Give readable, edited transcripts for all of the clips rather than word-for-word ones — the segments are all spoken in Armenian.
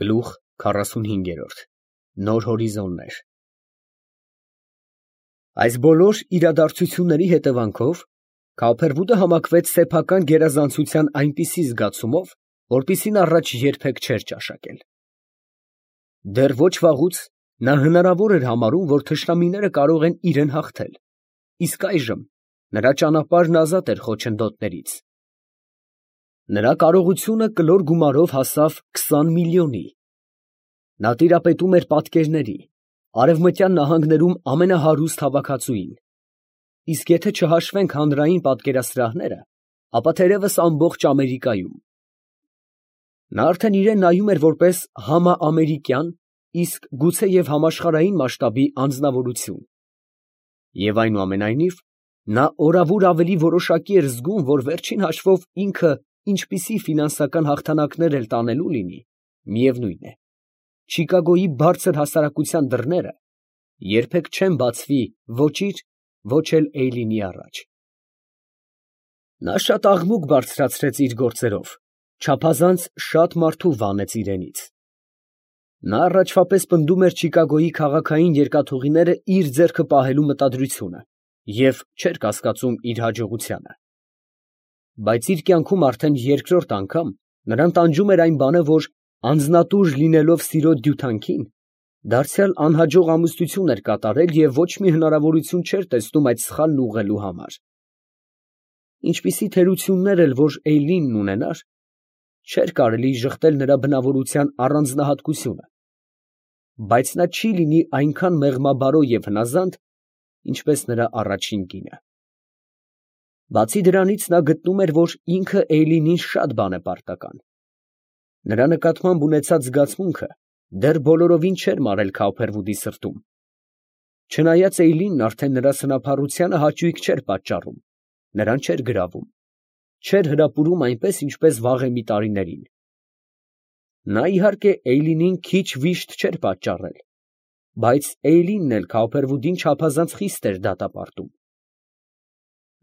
Գլուխ 45 Նոր հորիզոններ։ Այս բոլոր իրադարձությունների հետևանքով Քավբերվուդը համակվեց սեփական գերազանցության այնպիսի զգացումով, որպիսին առաջ երբեք չէր ճաշակել։ Դեռ ոչ վաղուց նա հնարավոր էր համարում, որ թշնամիները կարող են իրեն հաղթել, իսկ այժմ նրա ճանապարհն ազատ էր խոչընդոտներից։ Նրա կարողությունը կլոր գումարով հասավ 20 միլիոնի։ Նա տիրապետում էր պատկերների, Արևմտյան նահանգներում ամենահարուստ հավաքածուին, իսկ եթե չհաշվենք հանրային պատկերասրահները, ապա թերևս ամբողջ Ամերիկայում։ Նա արդեն իրան նայում էր որպես համաամերիկյան, իսկ գուցեև համաշխարհային մասշտաբի անձնավորություն։ Եվ այնուամենայնիվ, նա օրավուր ավելի որոշակի էր զգում, որ վերջին հաշվով ինքը ինչպիսի ֆինանսական հաղթանակներ էլ տանելու լինի, միևնույն է, Չիկագոյի բարձր հասարակության դռները երբեք չեն բացվի ոչ իր, ոչ էլ Էյլինի առաջ։ Նա շատ աղմուկ բարձրացրեց իր գործերով, չափազանց շատ մարդու վանեց իրենից։ Նա առաջվա պես պնդում էր Չիկագոյի քաղաքային երկաթուղիները իր ձեռքը պահելու մտադրությունը և չէր կասկածում իր հաջողությանը։ Բայց իր կյանքում արդեն երկրորդ անգամ նրան տանջում էր այն բանը, որ անձնատուր լինելով սիրո դյութանքին, դարձյալ անհաջող ամուսնություն էր կատարել և ոչ մի հնարավորություն չէր տեսնում այդ սխալն ուղղելու համար։ Ինչպիսի թերություններ էլ որ Էյլինն ունենար, չէր կարելի ժխտել նրա բնավորության առանձնահատկությունը, բայց նա չի լինի այնքան մեղմաբարո և հնազանդ, ինչպես նրա առաջին կինը։ Բացի դրանից նա գտնում էր, որ ինքը Էյլինին շատ բան է պարտական։ Նրա նկատմամբ ունեցած զգացմունքը դեռ բոլորովին չէր մարել Քավբերվուդի սրտում։ Չնայած Էյլինն արդեն նրա սնափառությանը հաճույք չէր պատճառում, նրան չէր գրավում, չէր հրապուրում այնպես, ինչպես վաղեմի տարիներին։ Նա իհարկե Էյլինին քիչ վիշտ չէր պատճառել, բայց Էյլինն էլ Քավբերվուդին չափազանց խիստ էր դատապարտում։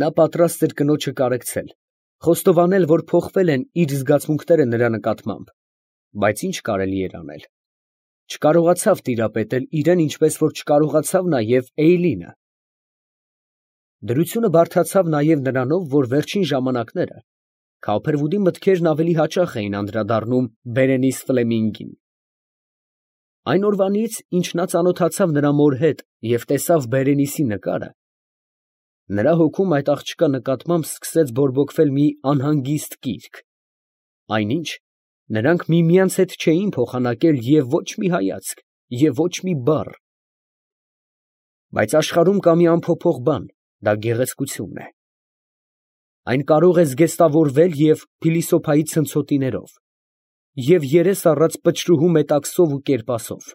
Նա պատրաստ էր կնոջը կարեկցել, խոստովանել, որ փոխվել են իր զգացմունքները նրա նկատմամբ, բայց ինչ կարելի էր անել։ Չկարողացավ տիրապետել իրան, ինչպես որ չկարողացավ նաև Էյլինը։ Դրությունը բարդացավ նաև նրանով, որ վերջին ժամանակները Քավբերվուդի մտքերն ավելի հաճախ էին անդրադառնում Բերենիս Ֆլեմինգին։ Այն օրվանից, ինչ նա ծանոթացավ նրա մոր հետ և տեսավ Բերենիսի նկարը, նրա հոգում այդ աղջկա նկատմամբ սկսեց բորբոքվել մի անհանգիստ կիրք, այնինչ նրանք միմյանց հետ չէին փոխանակել և ոչ մի հայացք, և ոչ մի բառ։ Բայց աշխարհում կա մի անփոփոխ բան, դա գեղեցկությունն է։ Այն կարող է զգեստավորվել և փիլիսոփայի ցնցոտիներով, և երես առած պչրուհու մետաքսով ու կերպասով։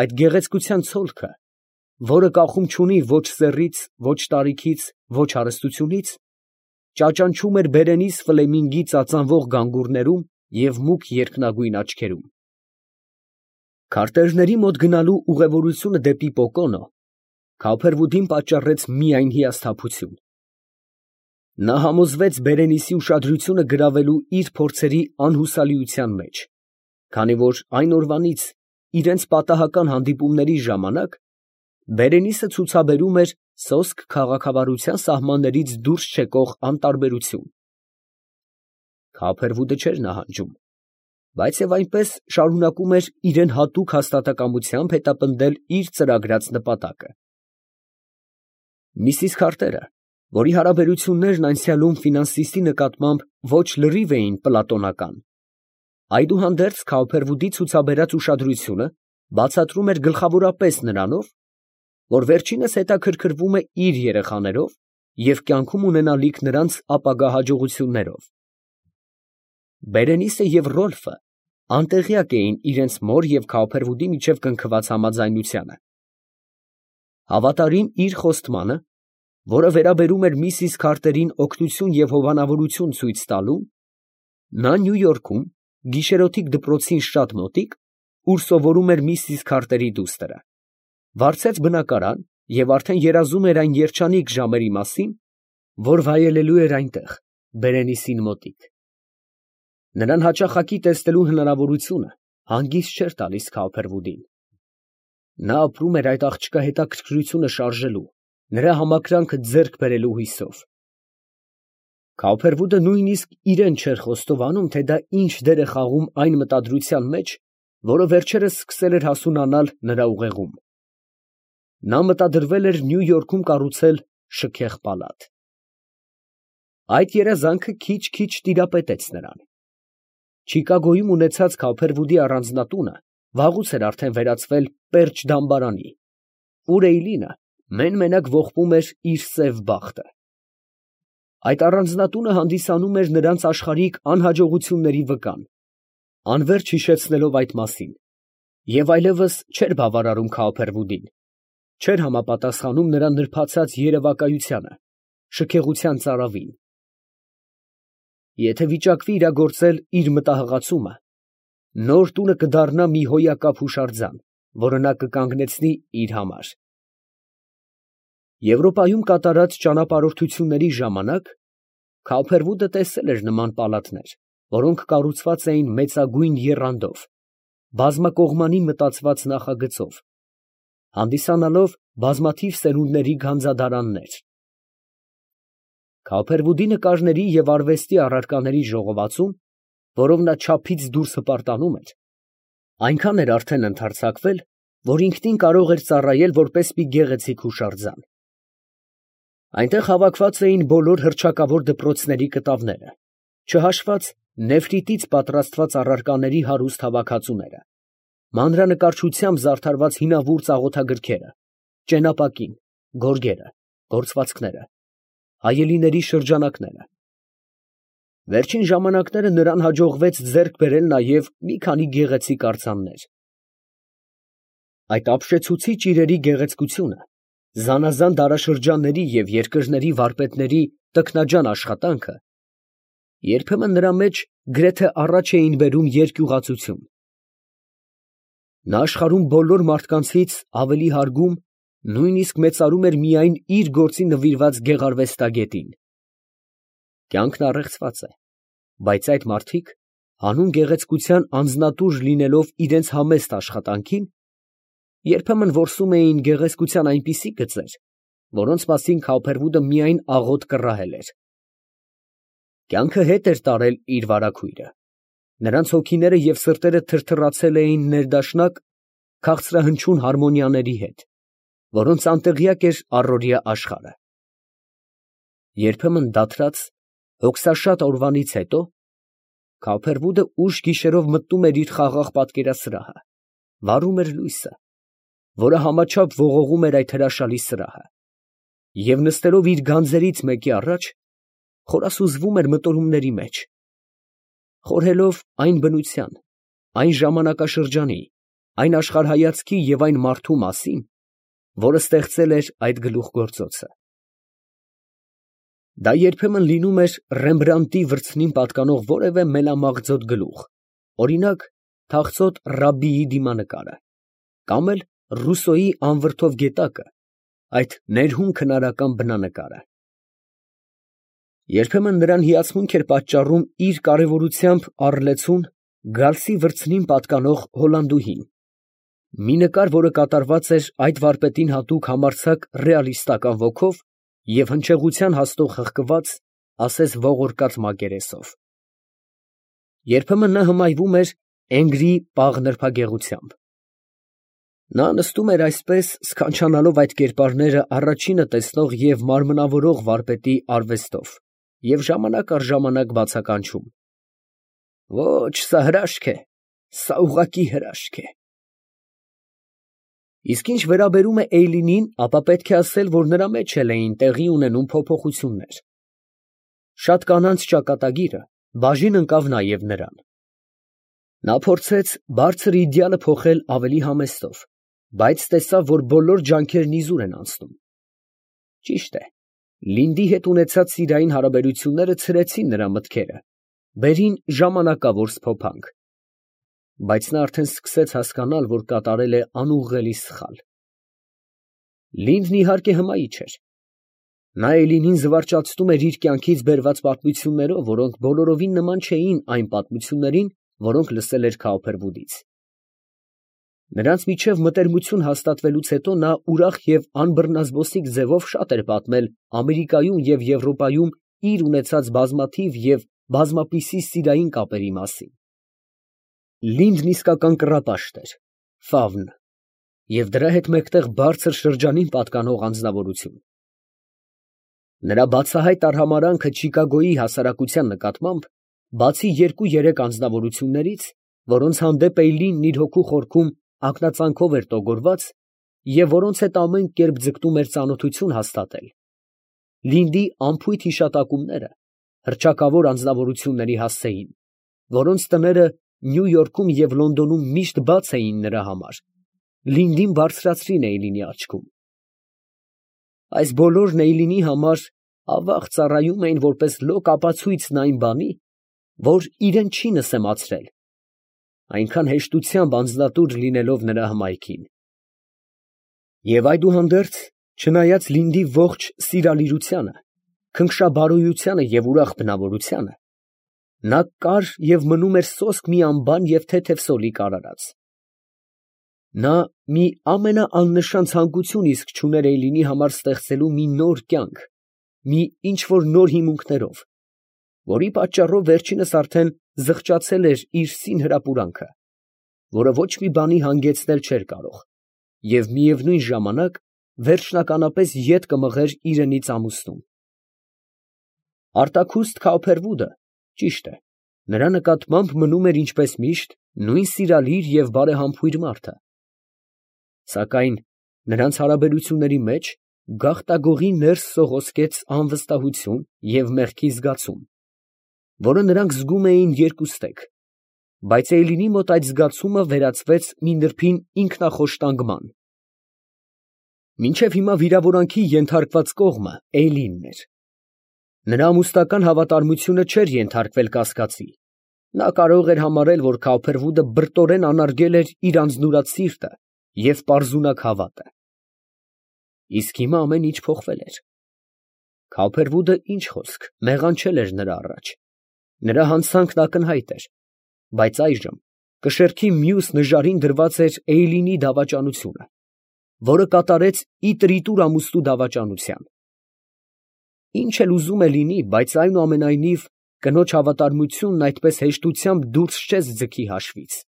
Այդ գեղեցկության ցոլքը, որը կախում չունի ոչ սեռից, ոչ տարիքից, ոչ հարստությունից, ճաճանչում էր Բերենիս Ֆլեմինգի ծածանվող գանգուրներում և մուգ երկնագույն աչքերում։ Քարտեզների մոտ գնալու ուղևորությունը դեպի Պոկոնո Քավբերվուդին պատճառեց միայն հիասթափություն։ Նա համոզվեց Բերենիսի ուշադրությունը գրավելու իր փորձերի անհուսալիության մեջ, քանի որ այն օրվանից, իրենց պատահական հանդիպումների ժամանակ, Բերենիսը ցուցաբերում էր սոսկ քաղաքավարության սահմաններից դուրս չեկող անտարբերություն։ Քավբերվուդը չէր նահանջում, բայց և այնպես շարունակում էր իրան հատուկ հաստատակամությամբ հետապնդել իր ծրագրած նպատակը։ Միսիս Քարտերը, որի հարաբերություններն անցյալում ֆինանսիստի նկատմամբ ոչ լրիվ էին պլատոնական, այդուհանդերձ Քավբերվուդի ցուցաբերած ուշադրությունը բացատրում էր գլխավորապես նրանով, որ վերջինս հետաքրքրվում է իր երեխաներով և կյանքում ունենալիք նրանց ապագա հաջողություններով։ Բերենիսը և Ռոլֆը անտեղյակ էին իրենց մոր և Քավբերվուդի միջև կնքված համաձայնությանը։ Հավատարիմ իր խոստմանը, որը վերաբերում էր միսիս Քարտերին օգնություն և հովանավորություն ցույց տալուն, նա Նյու Յորքում, գիշերօթիկ դպրոցին շատ մոտիկ, ուր սովորում էր միսիս Քարտերի դուստրը, վարձեց բնակարան և արդեն երազում էր այն երջանիկ ժամերի մասին, որ վայելելու էր այնտեղ, Բերենիսին մոտիկ։ Նրան հաճախակի տեսնելու հնարավորությունը հանգիստ չէր տալիս Քալփերվուդին։ Նա ապրում էր այդ աղջկա հետաքրքրությունը շարժելու, նրա համակրանքը ձեռք բերելու հույսով։ Քալփերվուդը նույնիսկ իրեն չէր խոստովանում, թե դա ինչ դեր է խաղում այն մտադրության մեջ, որը վերջերս սկսել էր հասունանալ նրա ուղեղում։ Նա մտադրվել էր Նյու Յորքում կառուցել շքեղ պալատ։ Այդ երազանքը քիչ-քիչ տիրապետեց նրան։ Չիկագոյում ունեցած Քալփերվուդի առանձնատունը վաղուց էր արդեն վերածվել պերճ֊դամբարանի, ուր Էյլինը մեն֊մենակ ողբում էր իր սև բախտը։ Այդ առանձնատունը հանդիսանում էր նրանց աշխարհիկ անհաջողությունների վկան, անվերջ հիշեցնելով այդ մասին, և այլևս չէր բավարարում Քալփերվուդին, չէր համապատասխանում նրա նրբացած երևակայությանը, շքեղության ծարավին։ Եթե վիճակվի իրագործել իր մտահղացումը, նոր տունը կդառնա մի հոյակապ հուշարձան, որը նա կկանգնեցնի իր համար։ Եվրոպայում կատարած ճանապարհորդությունների ժամանակ Քալփերվուդը տեսել էր նման պալատներ, որոնք կառուցված էին մեծագույն եռանդով, բազմակողմանի մտածված նախագծով, հանդիսանալով բազմաթիվ սերունդների գանձադարաններ։ Քալփերվուդի նկարների և արվեստի առարկաների ժողովածուն, որով նա չափից դուրս հպարտանում էր, այնքան էր արդեն ընդարձակվել, որ ինքնին կարող էր ծառայել որպես մի գեղեցիկ հուշարձան։ Այնտեղ հավաքված էին բոլոր հռչակավոր դպրոցների կտավները, չհաշված նեֆրիտից պատրաստված առարկաների հարուստ հավաքածուները, մանրանկարչությամբ զարդարված հինավուրց աղոթագրքերը, ճենապակին, գորգերը, գործվածքները, հայելիների շրջանակները։ Վերջին ժամանակները նրան հաջողվեց ձեռք բերել նաև մի քանի գեղեցիկ արձաններ։ Այդ ապշեցուցիչ իրերի գեղեցկությունը, զանազան դարաշրջանների և երկրների վարպետների տքնաջան աշխատանքը երբեմն նրա մեջ գրեթե առաջ էին բերում երկյուղածություն։ Նա աշխարհում բոլոր մարդկանցից ավելի հարգում, նույնիսկ մեծարում էր միայն իր գործին նվիրված գեղարվեստագետին։ Կյանքն առեղծված է, բայց այդ մարդիկ, հանուն գեղեցկության անձնատուր լինելով իրենց համեստ աշխատանքին, երբեմն որսում էին գեղեցկության այնպիսի գծեր, որոնց մասին Քալփերվուդը միայն աղոտ կռահել էր։ Կյանքը հետ էր տարել իր վարագույրը, նրանց հոգիները և սրտերը թրթռացել էին ներդաշնակ քաղցրահնչյուն հարմոնիաների հետ, որոնց անտեղյակ էր առօրյա աշխարհը։ Երբեմն դադարած, հոգսաշատ օրվանից հետո Քալփերվուդը ուշ գիշերով մտնում էր իր խաղաղ պատկերասրահը, վառում էր լույսը, որը համաչափ ողողում էր այդ հրաշալի սրահը, և նստելով իր գանձերից մեկի առաջ, խորասուզվում էր մտորումների մեջ, խորհելով այն բնության, այն ժամանակաշրջանի, այն աշխարհայացքի և այն մարդու մասին, որը ստեղծել էր այդ գլուխգործոցը։ Դա երբեմն լինում էր Ռեմբրանդտի վրձնին պատկանող որևէ մենամաղձոտ գլուխ, օրինակ, թախծոտ Ռաբբիի դիմանկարը, կամ էլ Ռուսոյի անվրդով գետակը, այդ ներհուն քնարական բնանկարը։ Երբեմն նրան հիացմունք էր պատճառում իր կարևորությամբ առլեցուն Գալսի վրձնին պատկանող Հոլանդուհին, մի նկար, որը կատարված էր այդ վարպետին հատուկ համարձակ ռեալիստական ոգով և հնչեղության հաստող խղկված, ասես ողորկած մակերեսով։ Երբեմն նա հմայվում էր Էնգրի պաղ նրբագեղությամբ։ Նա նստում էր այսպես, սքանչանալով այդ կերպարները առաջինը տեսնող և մարմնավորող վարպետի արվեստով և ժամանակ առ ժամանակ բացականչում. «Ո՛չ, սա հրաշք է, սա ուղղակի հրաշք է»։ Իսկ ինչ վերաբերում է Էյլինին, ապա պետք է ասել, որ նրա մեջ էլ էին տեղի ունենում փոփոխություններ։ Շատ կանանց ճակատագիրը բաժին ընկավ նաև նրան։ Նա փորձեց բարձր իդեալը փոխել ավելի համեստով, բայց տեսավ, որ բոլոր ջանքերն իզուր են անցնում։ Ճիշտ է, Լինդի հետ ունեցած սիրային հարաբերությունները ցրեցին նրա մտքերը, բերին ժամանակավոր սփոփանք, բայց նա արդեն սկսեց հասկանալ, որ կատարել է անուղղելի սխալ։ Լինդն իհարկե հմայիչ էր, Նա Էլինին զվարճացնում էր իր կյանքից բերված պատմություններով, որոնք բոլորովին նման չէին այն պատմություններին, որոնք լսել էր Քաուփերվուդից։ Նրանց միջև մտերմություն հաստատվելուց հետո նա ուրախ և անբռնազբոսիկ ձևով շատ էր պատմել Ամերիկայում և Եվրոպայում իր ունեցած բազմաթիվ և բազմապիսի սիրային կապերի մասին։ Լինդն իսկական կռապաշտ էր, ֆավն, և դրա հետ մեկտեղ բարձր շրջանին պատկանող անձնավորություն։ Նրա բացահայտ արհամարհանքը Չիկագոյի հասարակության նկատմամբ, բացի երկու-երեք անձնավորություններից, որոնց հանդեպ Էյլինն իր հոգու խորքում ակնածանքով էր տոգորված և որոնց հետ ամեն կերպ ձգտում էր ծանոթություն հաստատել, Լինդի անփույթ հիշատակումները հռչակավոր անձնավորությունների հասցեին, որոնց տները Նյու Յորքում և Լոնդոնում միշտ բաց էին նրա համար, Լինդին բարձրացրին Էյլինի աչքում։ Այս բոլորն Էյլինի համար ավաղ ծառայում էին որպես լոկ ապացույցն այն բանի, որ իրան չի նսեմացրել, այնքան հեշտությամբ անձնատուր լինելով նրա հմայքին։ Եվ այդուհանդերձ, չնայած Լինդի ողջ սիրալիրությանը, քնքշաբարոյությանը և ուրախ բնավորությանը, նա կար և մնում էր սոսկ մի անբան և թեթև սոլիկ արարած։ Նա մի ամենաաննշան ցանկություն իսկ չուներ Էյլինի համար ստեղծելու մի նոր կյանք, մի ինչ֊որ նոր հիմունքներով, որի պատճառով վերջինս արդեն զղջացել էր իր սին հրապուրանքը, որը ոչ մի բանի հանգեցնել չէր կարող, և միևնույն ժամանակ վերջնականապես ետ կմղեր իրենից ամուսնուն։ Արտաքուստ Քաուփերվուդը, ճիշտ է, նրա նկատմամբ մնում էր ինչպես միշտ նույն սիրալիր և բարեհամբույր մարդը, սակայն նրանց հարաբերությունների մեջ գաղտագողի ներս սողոսկեց անվստահություն և մեղքի զգացում, որը նրանք զգում էին երկուստեք, բայց Էյլինի մոտ այդ զգացումը վերածվեց մի նրբին ինքնախոշտանգման։ Մինչև հիմա վիրավորանքի ենթարկված կողմը Էյլինն էր։ Նրա ամուսնական հավատարմությունը չէր ենթարկվել կասկածի, նա կարող էր համարել, որ Քաուփերվուդը բրտորեն անարգել էր իր անձնուրաց սիրտը և պարզունակ հավատը։ Իսկ հիմա ամեն ինչ փոխվել էր։ Քաուփերվուդը, ինչ խոսք, մեղանչել էր նրա առաջ, նրա հանցանքն ակնհայտ էր, բայց այժմ կշեռքի մյուս նժարին դրված էր Էյլինի դավաճանությունը, որը կատարեց ի տրիտուր ամուսնու դավաճանության։ Ինչ էլ ուզում է լինի, բայց այնուամենայնիվ կնոջ հավատարմությունն այդպես հեշտությամբ դուրս չես ձգի հաշվից։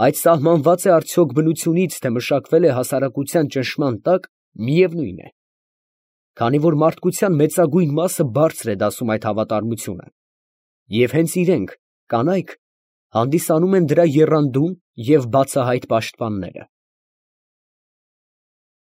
Այդ սահմանված է արդյոք բնությունից, թե մշակվել է հասարակության ճնշման տակ, միևնույն է, քանի որ մարդկության մեծագույն մասը բարձր է դասում այդ հավատարմությունը, և հենց իրենք, կանայք, հանդիսանում են դրա եռանդուն և բացահայտ պաշտպանները։